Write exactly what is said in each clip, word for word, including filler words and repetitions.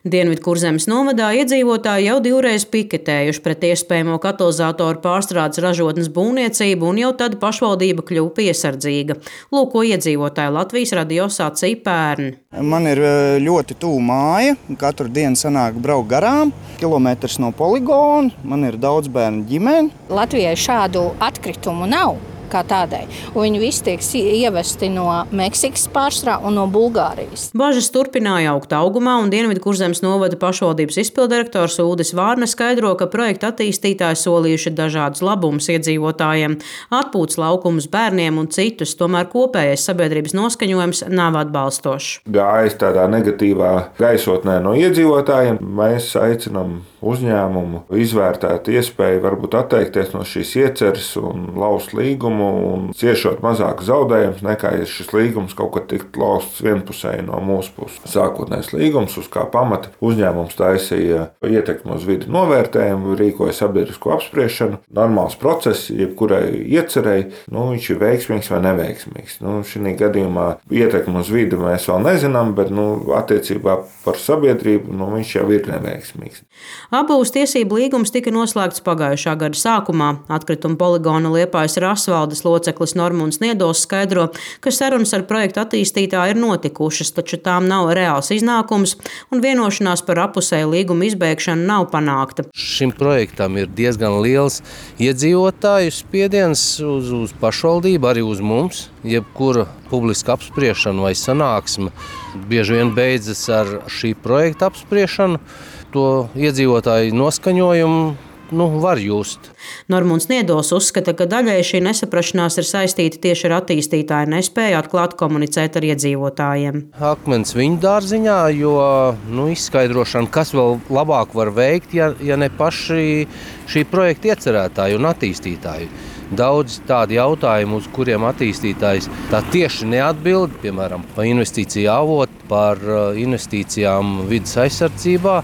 Dienvidkurzemes novadā iedzīvotāji jau divreiz piketējuši pret iespējamo katalizatoru pārstrādes ražotnes būvniecību, un jau tad pašvaldība kļuva piesardzīga. Lūk, ko iedzīvotāji Latvijas radio sacīja pērn. Man ir ļoti tuvu māja, katru dienu sanāk braukt garām, kilometrs no poligona, man ir daudz bērnu ģimene. Latvijai šādu atkritumu nav kā tādai, un viņi visi tiek ievesti no Meksikas pārstrā un no Bulgārijas. Bažas turpināja augt augumā, un Dienvidkurzemes novada pašvaldības izpildirektors Uldis Vārne skaidro, ka projekta attīstītāji solījuši dažādus labumus iedzīvotājiem, atpūtas laukumus bērniem un citus, tomēr kopējais sabiedrības noskaņojums nav atbalstošs. Gājis tādā negatīvā gaisotnē no iedzīvotājiem, mēs aicinām uzņēmumu izvērtēt iespēju varbūt atteikties no šīs ieceres un laust līgumu un ciešot mazāk zaudējumus, nekā ja šis līgums kaut kad tiktu lausts vienpusēji no mūsu puses. Sākotnējs līgums, uz kā pamata uzņēmums taisīja ietekmi uz vidi novērtējumu, rīkoja sabiedrisko apspriešanu. Normāls process, jebkurai iecerei, nu, viņš ir veiksmīgs vai neveiksmīgs. Nu, šī gadījumā ietekmi uz vidi mēs vēl nezinām, bet nu, attiecībā par sabiedrību nu, viņš jau ir neveiksmīgs. Abūs tiesību līgums tika noslēgts pagājušā gada sākumā. Atkrituma poligona Liepājas Rasvaldes loceklis Normunds Niedols skaidro, ka sarunas ar projektu attīstītāju ir notikušas, taču tām nav reāls iznākums un vienošanās par apusēju līgumu izbēgšanu nav panākta. Šim projektam ir diezgan liels iedzīvotāju spiediens uz, uz pašvaldību, arī uz mums. Jebkura publiska apspriešana vai sanāksme bieži vien beidzas ar šī projekta apspriešanu. To iedzīvotāju noskaņojumu nu, var just. Normunds Niedols uzskata, ka daļai šī nesaprašanās ir saistīta tieši ar attīstītāju nespēju atklāt komunicēt ar iedzīvotājiem. Akmens viņu dārziņā, jo nu, izskaidrošana, kas vēl labāk var veikt, ja, ja ne paši šī projekta iecerētāji un attīstītāji. Daudz tādi jautājumi, uz kuriem attīstītājs tā tieši neatbild, piemēram, par investīciju avotu, par investīcijām vides aizsardzībā.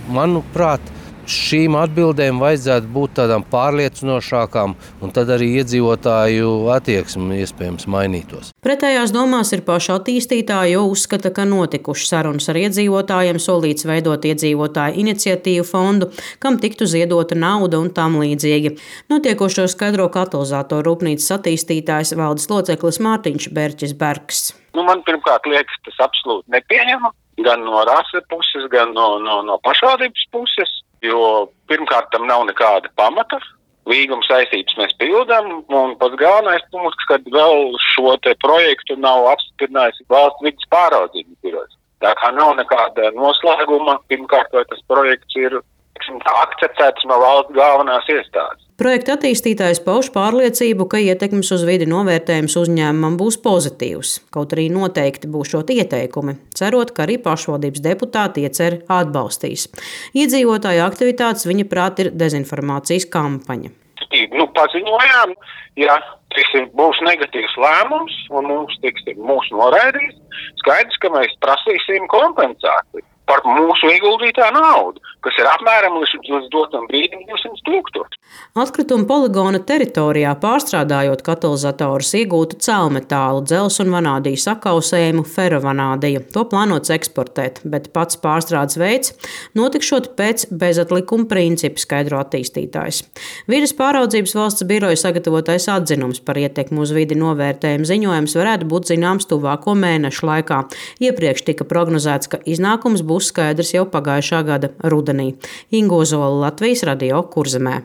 Manuprāt, šīm atbildēm vajadzētu būt tādām pārliecinošākām, un tad arī iedzīvotāju attieksme iespējams mainītos. Pretējās domās ir paši attīstītāji, jo uzskata, ka notikušas sarunas ar iedzīvotājiem, solīts veidot iedzīvotāju iniciatīvu fondu, kam tiktu ziedota nauda un tam līdzīgi. Notiekošo skaidro katalizatoru rūpnīcas attīstītājs valdes loceklis Mārtiņš Berķis Bergs. Nu, man pirmkārt liekas, tas absolūti nepieņemam. Gan no rasa puses, gan no, no, no pašvaldības puses, jo pirmkārt tam nav nekāda pamata. Līguma saistības mēs pildām, un pats galvenais punkts, kad vēl šo te projektu nav apstiprinājis valsts vides pāraudzības birojas. Tā kā nav nekāda noslēguma, pirmkārt, vai tas projekts ir akceptēts no valsts galvenās iestādes. Projekta attīstītājs pauž pārliecību, ka ietekmes uz vidi novērtējums uzņēmumam būs pozitīvs, kaut arī noteikti būšot ieteikumi, cerot, ka arī pašvaldības deputāti ieceri atbalstīs. Iedzīvotāju aktivitātes viņa prāt ir dezinformācijas kampaņa. Nu, paziņojām, ja tas būs negatīvs lēmums un mums tiks mūs noraidīs, skaidrs, ka mēs prasīsim kompensāciju par mūsu ieguldītā naudu, kas ir apmēram līdz dotam brīdim divsimt tūkstoši. Atkrituma poligona teritorijā pārstrādājot katalizatorus iegūtu cēlmetālu, dzels un vanādiju sakausējumu ferovanādiju. To plānots eksportēt, bet pats pārstrādes veids notikšot pēc bezatlikuma principa, skaidro attīstītājs. Vides pāraudzības valsts biroja sagatavotais atzinums par ietekmi uz vidi novērtējumu ziņojums varētu būt zināms tuvāko mēnešu laikā. Iepriekš tika prognozēts, ka iznākums būs skaidrs jau pagājušā gada rudenī. Inga Ozola, Latvijas radio, Kurzemē.